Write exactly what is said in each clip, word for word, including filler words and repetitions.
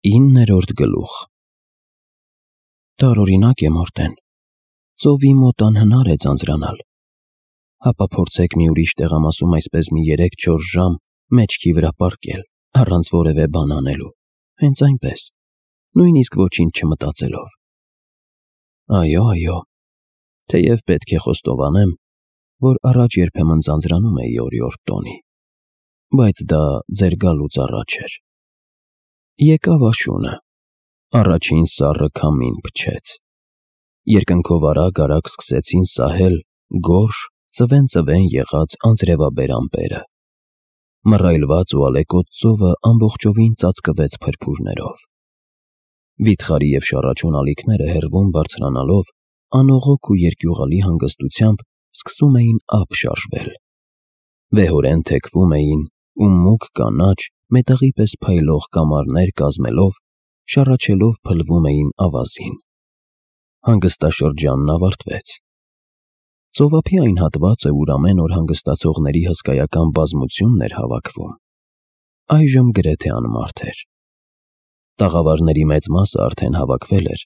Իններորդ գլուխ։ Տարօրինակ է Մորտեն, ծովի մոտ անհնար է ձանձրանալ, հապա փորձեք մի ուրիշ տեղամասում այսպես մի երեք-չորս ժամ մեջքի վրա պառկել, առանց որևէ բան անելու, հենց այնպես, նույնիսկ ոչինչ չմտածելով։ Այո, այո, թեև պետք է խոստովանեմ, որ առաջ երբեմն ձանձրանում էի օրիորդ տոնի, բայց դա ձեր գալուց առաջ էր։ Եկավ աշունը, առաջին սառը քամին փչեց, երկնքով արագ-արագ սկսեցին սահել գորշ, ծվեն-ծվեն եղած անձրևաբեր ամպերը, մռայլված ու ալեկոծ ծովը ամբողջովին ծածկվեց փրփուրներով, վիթխարի և շառաչուն ալիքները հեռվում բարձրանալով անողոք ու երկյուղալի հանգստությամբ սկսում էին ափ շարժվել, վեհորեն թեքվում էին ու մուգ կանաչ, մետաղի պես փայլող կամարներ կազմելով, շառաչելով փլվում էին ավազին։ Հանգստաշրջանն ավարտվեց։ Ծովափի այն հատվածը, ուր ամեն օր հանգստացողների հսկայական բազմությունն էր հավաքվում, այժմ գրեթե անմարդ էր։ Տաղավարների մեծ մասը արդեն հավաքվել էր,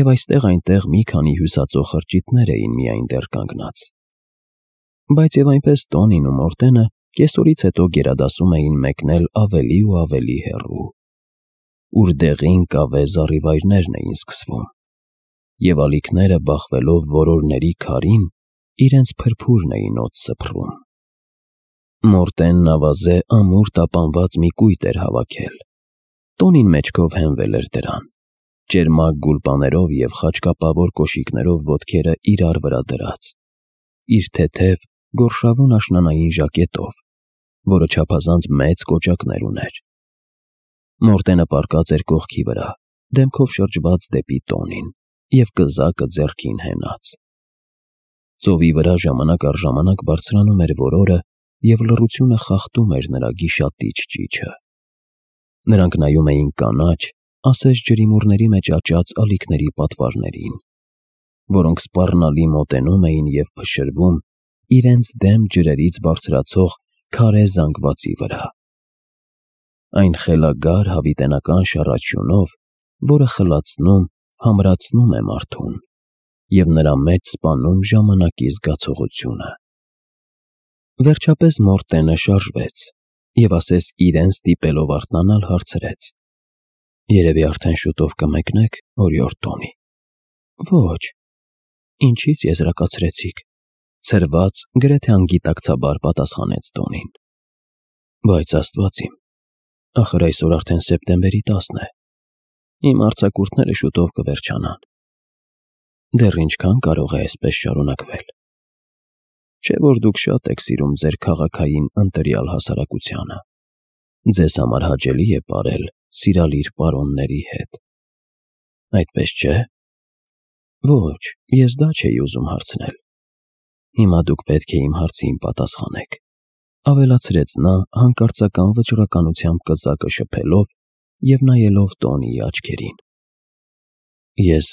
և այստեղ-այնտեղ մի քանի հյուսածող խրճիթներ էին միայն դեռ կանգնած։ Բայց և այնպես Տոնին ու Մորտենը կեսօրից հետո գերադասում էին մեկնել ավելի ու ավելի հեռու, ուր դեղին կավե զառիվայրներն էին սկսվում, և ալիքները բախվելով որորների քարին, իրենց փրփուրն էին օդ սփռում։ Մորտենն ավազե ամուր տապանված մի կույտ էր հավաքել, Տոնին մեջքով հենվել էր դրան, ճերմակ գուլպաներով և խաչկապավոր կոշիկներով ոտքերը իրար վրա դրած, իր թեթև, գորշավուն աշնանային ժակետով, որը չափազանց մեծ կոճակներ ուներ։ Մորտենը պառկած էր կողքի վրա, դեմքով շրջված դեպի Տոնին և կզակը ձեռքին հենած։ Ծովի վրա ժամանակ առ ժամանակ բարձրանում էր որորը և լռությունը խախտում էր նրա գիշատիչ ճիչը։ Նրանք նայում էին կանաչ, ասես ջրիմուռների մեջ աճած ալիքների պատվարներին, որոնք սպառնալի մոտենում էին և փշրվում իրենց դեմ ջրերից բարձրացող քարե զանգվածի վրա։ Այն խելագար հավիտենական շառաչյունով, որը խլացնում, համրացնում է մարդուն և նրա մեջ սպանում ժամանակի զգացողությունը։ Վերջապես Մորտենը շարժվեց և ասես իրեն ստիպելով արթնանալ, հարցրեց. «Երևի արդեն շուտով կմեկնեք, օրիորդ Տոնի»։ «Ոչ»։ «Ինչի՞ց եզրակացրեցիք», ցրված, գրեթե անգիտակցաբար պատասխանեց Տոնին։ «Բայց Աստված իմ, ախր այսօր արդեն սեպտեմբերի տասն է, իմ արձակուրդները շուտով կվերջանան։ Դեռ ինչքա՞ն կարող է այսպես շարունակվել։ Չէ՞ որ դուք շատ եք սիրում ձեր քաղաքային ընտրյալ հասարակությանը, ձեզ համար հաճելի է պարել սիրալիր պարոնների հետ։ Այդպես չէ՞։ Ոչ, ես դա չէի ուզում հարցնել։ Հիմա դուք պետք է իմ հարցին պատասխանեք», ավելացրեց նա հանկարծական վճռականությամբ կզակը շփելով և նայելով Տոնիի աչքերին։ «Ես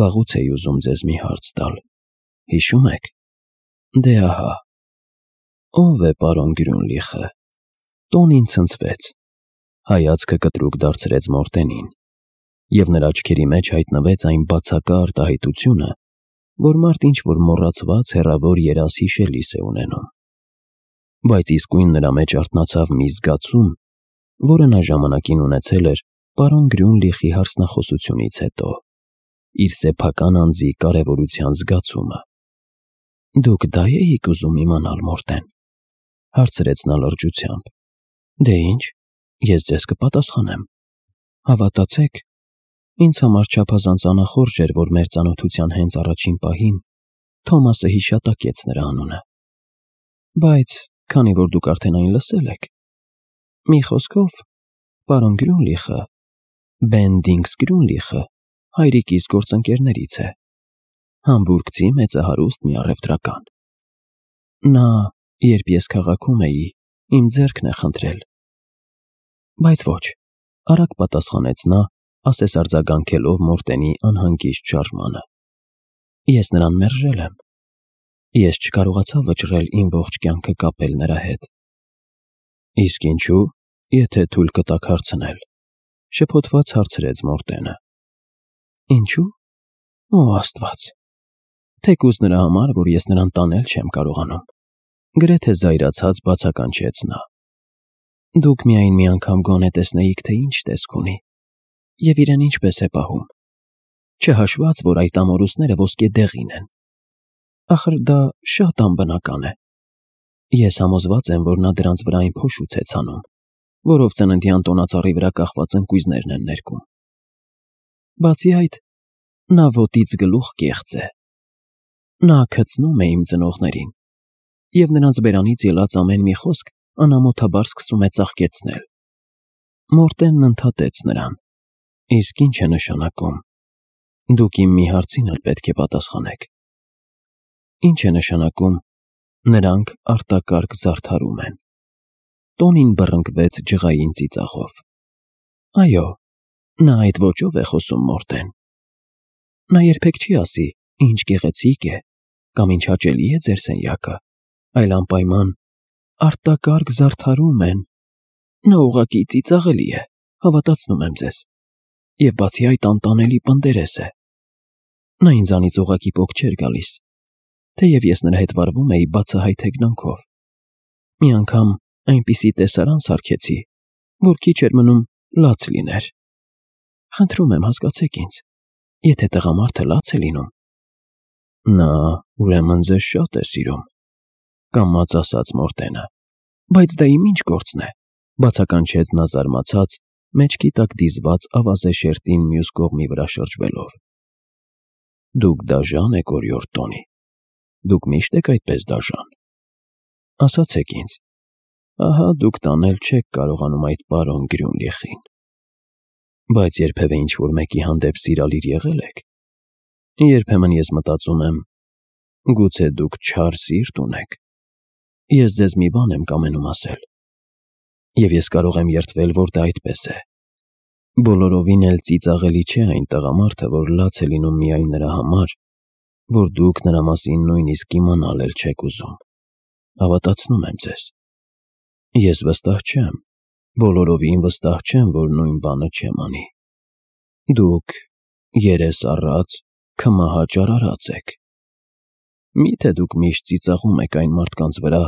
վաղուց էի ուզում ձեզ մի հարց տալ, հիշո՞ւմ եք։ Դե ահա, ո՞վ է պարոն Գրյունլիխը»։ Տոնին ցնցվեց, հայացքը կտրուկ դարձրեց Մորտենին, և նրա աչքերի մեջ հայտնվեց այն բացակա արտահայտությունը, որ մարդ ինչ-որ մոռացված հեռավոր երազ հիշելիս է ունենում։ Բայց իսկույն նրա մեջ արթնացավ մի զգացում, որը նա ժամանակին ունեցել էր պարոն Գրյունլիխի հարցնախոսությունից հետո, իր սեփական անձի կարևորության զգացումը։ «Դուք դա էիք ուզում իմանալ, Մորտեն», հարցրեց նա լրջությամբ։ «Դե ինչ, ես ձեզ կպատասխանեմ։ Հավատացեք, ինձ համար չափազանց անախորժ էր, որ մեր ծանոթության հենց առաջին պահին Թոմասը հիշատակեց նրա անունը։ Բայց քանի որ դուք արդեն այն լսել եք, մի խոսքով, պարոն Գրյունլիխը, Բենդինգս Գրյունլիխը, հայրիկիս գործընկերներից է, համբուրգցի մեծահարուստ մի առևտրական։ Նա, երբ ես քաղաքում էի, իմ ձեռքն է խնդրել»։ «Բայց ոչ», արագ պատասխանեց նա, ասես արձագանքելով Մորտենի անհանգիստ շարժմանը։ «Ես նրան մերժել եմ։ Ես չկարողացա վճռել իմ ողջ կյանքը կապել նրա հետ»։ «Իսկ ինչու, եթե թույլ կտաք հարցնել»։ Շփոթված հարցրեց Մորտենը։ Ինչու՞։ Օ Աստված։ Թեկուզ նրա համար, որ ես նրան տանել չեմ կարողանում։ Գրեթե զայրացած բացականչեց նա։ Դուք միայն մի անգամ գոնե տեսնեիք, թե ինչ տեսք ունի, և իրեն ինչպես է պահում, չհաշված, որ այդ ամորուսները ոսկե դեղին են։ Ախր դա շատ անբնական է։ Ես համոզված եմ, որ նա դրանց վրա այն փոշուց է ցանում, որով ծննդյան տոնածառի վրա կախված ընկույզներն են ներկում։ Բացի այդ, նա ոտից գլուխ կեղծ է։ Նա քցնում է իմ ծնողներին, և նրանց բերանից ելած ամեն մի խոսք անամոթաբար սկսում է ծաղկեցնել։ Մորտենն ընդհատեց նրան. Իսկ ինչ է նշանակում։ Դուք իմ մի հարցին էլ պետք է պատասխանեք։ Ինչ է նշանակում, նրանք արտակարգ զարդարում են։ Տոնին բռնկվեց ջղային ծիծաղով։ Այո, նա այդ ոճով է խոսում, Մորտեն։ Նա երբեք չի ասի, ինչ գեղեցիկ է, կամ ինչ հաճելի է ձեր սենյակը, այլ անպայման արտակարգ զարդարում են։ Նա ուղղակի ծիծաղելի է, հավատացնում եմ ձեզ, և բացի այդ անտանելի պնդերես է։ Նա ինձանից ուղղակի պոկ չէր գալիս, թեև ես նրա հետ վարվում էի բացահայտ հեգնանքով։ Մի անգամ այնպիսի տեսարան սարքեցի, որ քիչ էր մնում լաց լիներ։ Խնդրում եմ, հասկացեք ինձ, եթե տղամարդը լաց է լինում։ Նա, ուրեմն, ձեզ շատ է սիրում, կամաց ասաց Մորտենը։ Բայց դա իմ ինչ գործն է, բացականչեց նա զարմացած, մեջքի տակ դիզված ավազե շերտին մյուս կողմի վրա շրջվելով։ Դուք դաժան եք, օրիորդ Տոնի, դուք միշտ եք այդպես դաժան։ Ասացեք ինձ, ահա դուք տանել չեք կարողանում այդ պարոն Գրյունլիխին, բայց երբևէ ինչ-որ մեկի հանդեպ սիրալիր եղել եք։ Երբեմն ես մտածում եմ, գուցե դուք չար սիրտ ունեք։ Ես ձեզ մի բան եմ կամենում ասել, և ես կարող եմ երդվել, որ դա այդպես է։ Բոլորովին էլ ծիծաղելի չէ այն տղամարդը, որ լաց է լինում միայն նրա համար, որ դուք նրա մասին նույնիսկ իմանալ էլ չեք ուզում։ Հավատացնում եմ ձեզ։ Ես վստահ չեմ, բոլորովին վստահ չեմ, որ նույն բանը չեմ անի։ Դուք երես առած, քմահաճ արարած եք։ Մի՞թե դուք միշտ ծիծաղում եք այն մարդկանց վրա,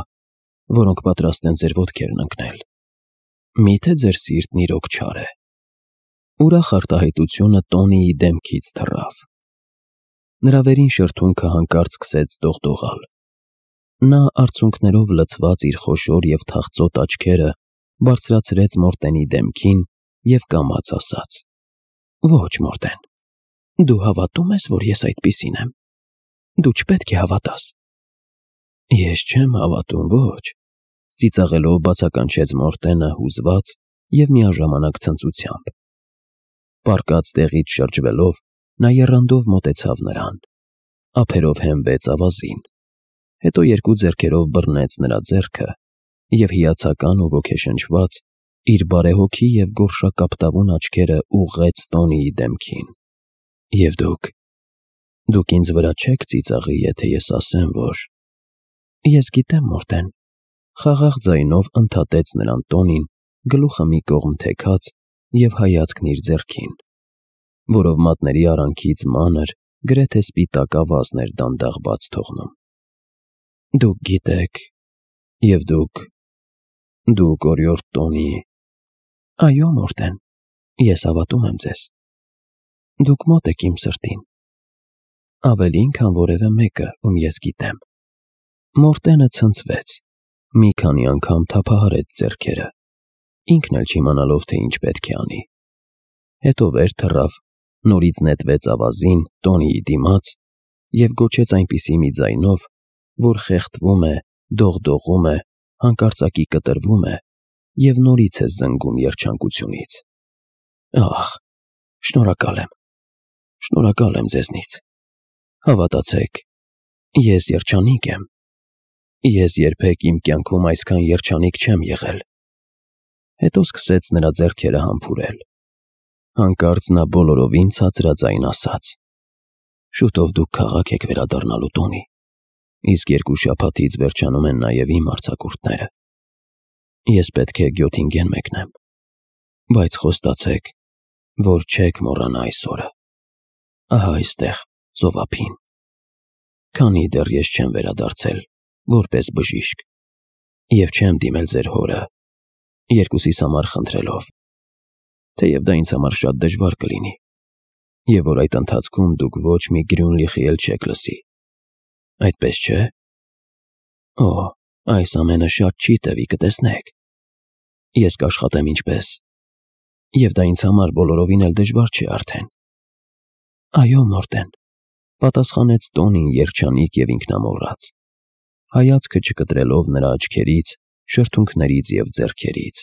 որոնք պատրաստ են ձեր ոտքերն ընկնել։ Մի՞թե ձեր սիրտն իրոք չար է։ Ուրախ արտահայտությունը Տոնիի դեմքից թռավ։ Նրա վերին շրթունքը հանկարծ սկսեց դողդողալ։ Նա արցունքներով լցված իր խոշոր և թախծոտ աչքերը բարձրացրեց Մորտենի դեմքին և կամաց ասաց. Ոչ, Մորտեն, դու հավատում ես, որ ես այդպիսին եմ։ Դու չպետք է հավատաս։ Ես չեմ հավատում, ոչ, ծիծաղելով բացականչեց Մորտենը հուզված և միաժամանակ ցնծությամբ։ Պառկած տեղից շրջվելով, նա եռանդով մոտեցավ նրան, ափերով հենվեց ավազին, հետո երկու ձեռքերով բռնեց նրա ձեռքը և հիացական ու ոգեշնչված իր բարեհոգի և գորշակապտավուն աչքերը ուղղեց Տոնիի դեմքին։ Եվ դուք, դուք ինձ վրա չեք ծիծաղի, եթե ես ասեմ, որ… Ես գիտեմ, Մորտեն, խաղաղ ձայնով ընդհատեց նրան Տոնին, գլուխը մի կողմ թեքած և հայացքն իր ձեռքին, որով մատների արանքից մանր, գրեթե սպիտակ ավազն էր դանդաղ բաց թողնում։ Դուք գիտեք, և դուք… դուք, օրիորդ Տոնի… Այո, Մորտեն, ես հավատում եմ ձեզ։ Դուք մոտ եք իմ սրտին։ Ավելին, քան որևէ մեկը, ում ես գիտեմ։ Մորտենը ցնցվեց, մի քանի անգամ թափահարեց ձեռքերը, ինքն էլ չիմանալով, թե ինչ պետք է անի։ Հետո վեր թռավ, նորից նետվեց ավազին Տոնիի դիմաց և գոչեց այնպիսի մի ձայնով, որ խեղդվում է, դողդողում է, հանկարծակի կտրվում է և նորից է զնգում երջանկությունից։ Ախ, շնորհակալ եմ, շնորհակալ եմ ձեզնից։ Հավատացեք, ես երջանիկ եմ։ Ես երբեք իմ կյանքում այսքան երջանիկ չեմ եղել։ Հետո սկսեց նրա ձեռքերը համբուրել։ Հանկարծ նա բոլորովին ցածրաձայն ասաց. Շուտով դուք քաղաք եք վերադառնալու, Տոնի, իսկ երկու շաբաթից վերջանում են նաև իմ արձակուրդները։ Ես պետք է Գյոթինգեն մեկնեմ, բայց խոստացեք, որ չեք մոռանա այս օրը։ Ահա այստեղ, ծովափին։ Քանի դեռ ես չեմ վերադարձել, որպես բժիշկ, և չեմ դիմել ձեր հորը, երկուսիս համար խնդրելով, թեև դա ինձ համար շատ դժվար կլինի, և որ այդ ընթացքում դուք ոչ մի գրյուն-լիխի էլ չեք լսի։ Այդպես չէ՞։ Օ, այս ամենը շատ չի տևի, կտեսնեք։ Ես կաշխատեմ ինչպես, և դա ինձ համար բոլորովին էլ դժվար չէ արդեն։ Այո, Մորտեն, պատասխանեց Տոնին երջանիկ և ինքնամոռաց, հայացքը չկտրելով նրա աչքերից, շրթունքներից և ձեռքերից,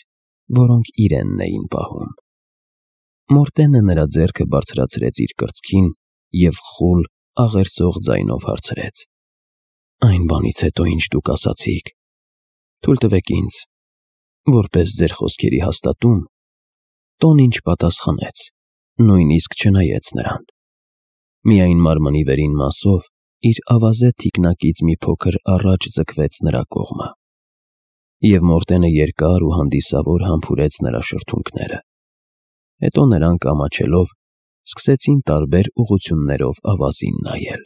որոնք իրենն էին պահում։ Մորտենը նրա ձեռքը բարձրացրեց իր կրծքին և խուլ, աղերսող ձայնով հարցրեց. Այն բանից հետո, ինչ դուք ասացիք, թույլ տվեք ինձ, որպես ձեր խոսքերի հաստատում, Տոնին չպատասխանեց, նույնիսկ չնայեց նրան։ Միայն մարմնի վերին մասով իր ավազե թիկնակից մի փոքր առաջ ձգվեց նրա կողմը, և Մորտենը երկար ու հանդիսավոր համբուրեց նրա շրթունքները։ Հետո նրանք ամաչելով սկսեցին տարբեր ուղղություններով ավազին նայել։